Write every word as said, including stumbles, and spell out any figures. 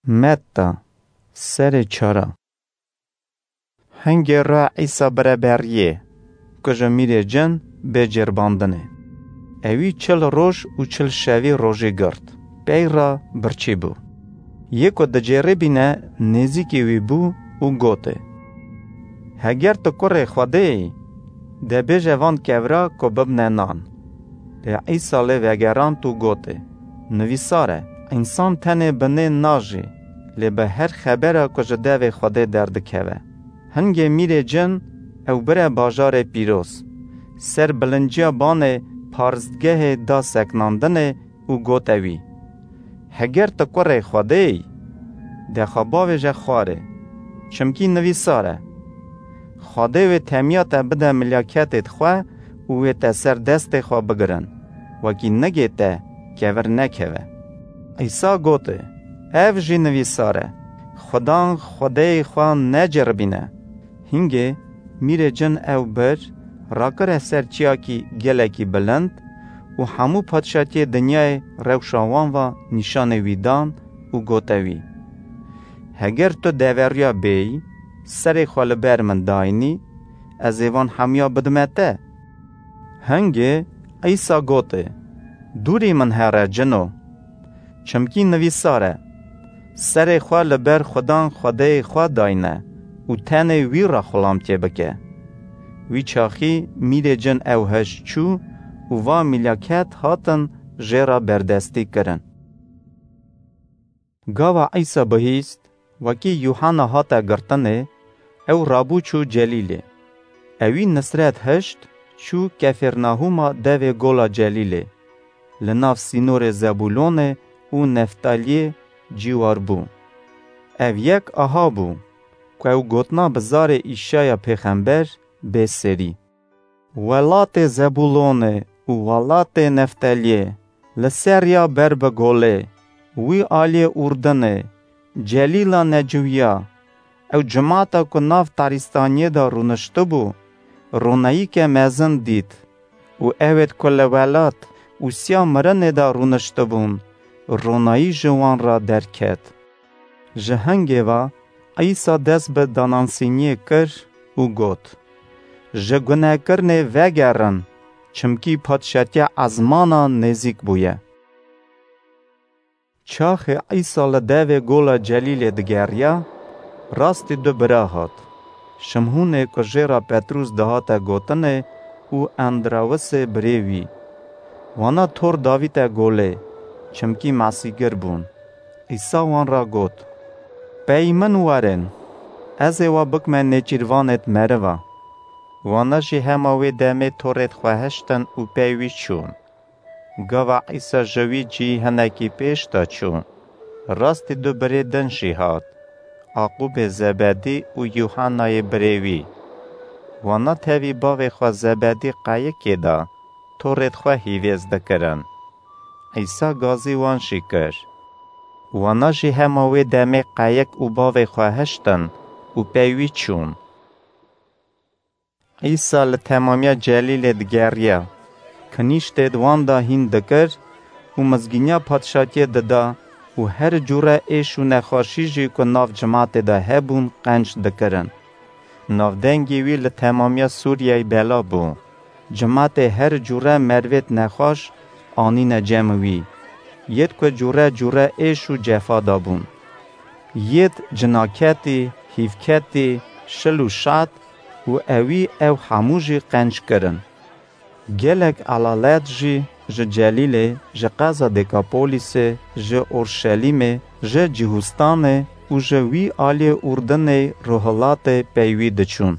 Metta, serê çara. Hingê re Îsa bire beriyê, ku ji mîrê cin bê cêrbandinê. Ewî çil roj û çil şevî rojî girt, pey re birçî bû. Yê ku dicêribîne nêzîkî wî bû û gotê, Heger tu kurê Xwedê yî, de bêje van kevra ku bibne nan. Lê Îsa lê vegerand û gotê, Nivîsar e, însan tenê bi nê najî, lê bi her xebera ku ji devê Xwedê derdikeve. Hingê mîrê cin ew bire bajarê pîroz, ser bilinciya banê parzgehê da seknandinê û gote wî, Heger tu kurê Xwedê yî, de xwe bavêje xwarê, çimkî nivîsar e, Xwedê wê temiya te bide milyaketêd xwe û wê te ser destê xwe bigirin, wekî nigê te kevir nekeve. Îsa gotê, Ev jî nivîsar e, Xudan Xwedêyê xwe neceribîne. Hingê mîrê cin ew bir, rakire ser çiyakî gelekî bilind û hemû padşatiyê dinyayê rewşa wan va nîşanê wî dan û gote wî, Heger tu deveriya bêyî, serê xwe li ber min dayînî, ez ê van hemiya bidime te. Hingê Îsa gotê, Dûrî min here cino, çimkî nivîsar e, Serê xwe li ber Xudan Xwedêyê xwe dayne û tenê wî re xulamtiyê bike. Wî çaxî mîrê cin ew hişt çû û va mîlaket hatin jê re berdestî kirin. Gava Îsa bihîst, wekî Yuhanna hate girtinê, ew rabû çû Celîlê. Ewî Nisret hişt, çû Kefêrnahûma devê gola Celîlê, li nav sînorê Zebûlonê û Neftaliyê cîwar bû. Ev yek aha bû, ku ew gotina bi zarê Îşaya pêxember bê serî. Welatê Zebûlonê û welatê Nefteliyê, li ser ya ber bi golê, wî aliyê Urdinê, Celîla Neciwiya, ew cimata ku nav tarîstaniyê de rûniştibû, ronayîke mezin dît û ewêd ku li welat û siya mirinê de rûniştibûn, ronayî ji wan re derket. Ji hingê ve Îsa dest bi danansîniyê kir û got, Ji gunekirinê vegerin, çimkî padşatiya ezmanan nêzîk bûye. Çaxê Îsa li devê gola Celîlê digeriya, rastî du bira hat. Şimhûnê ku jê re Petrûs dihate gotinê û Endrawisê birê wî. Wana tor davîte golê, çimkî mesîgir bûn. Îsa wan re got, Pey min werin, ez ê we bikime nêçîrvanêd meriva. Wana jî hema wê demê torêd xwe hiştin û pey wî çûn. Gava Îsa ji wî cî hinekî pêş de çû, rastî du birê din jî hat, Aqûbê Zebedî û Yuhannayê birê wî. Wana tevî bavê xwe Zebedî qeyikê de torêd xwe hîvêz dikirin. Îsa gazî wan jî kir. Wana jî hema wê demê qeyik û bavê xwe hiştin û pey wî çûn. Îsa li temamiya Celîlê digeriya, kinîştêd wan de hîn dikir û mizgîniya padşatiyê dida û her cûre êş û nexweşî jî ku nav cimatê de hebûn qenc dikirin. Navdengê wî li temamiya Sûriyeyê bela bû. Cimatê her cûre merivêd nexweş anîne cem wî. Yêd ku cûre cûre êş û cefa dabûn. Yêd cinaketî, hîvketî, şil û şat û ewî ew hemû jî qenc kirin. Gelek elalet jî ji Celîlê, ji qeza Dekapolîsê, ji Orşelîmê, ji Cihûstanê û ji wî aliyê Urdinê rohilatê pey wî diçûn.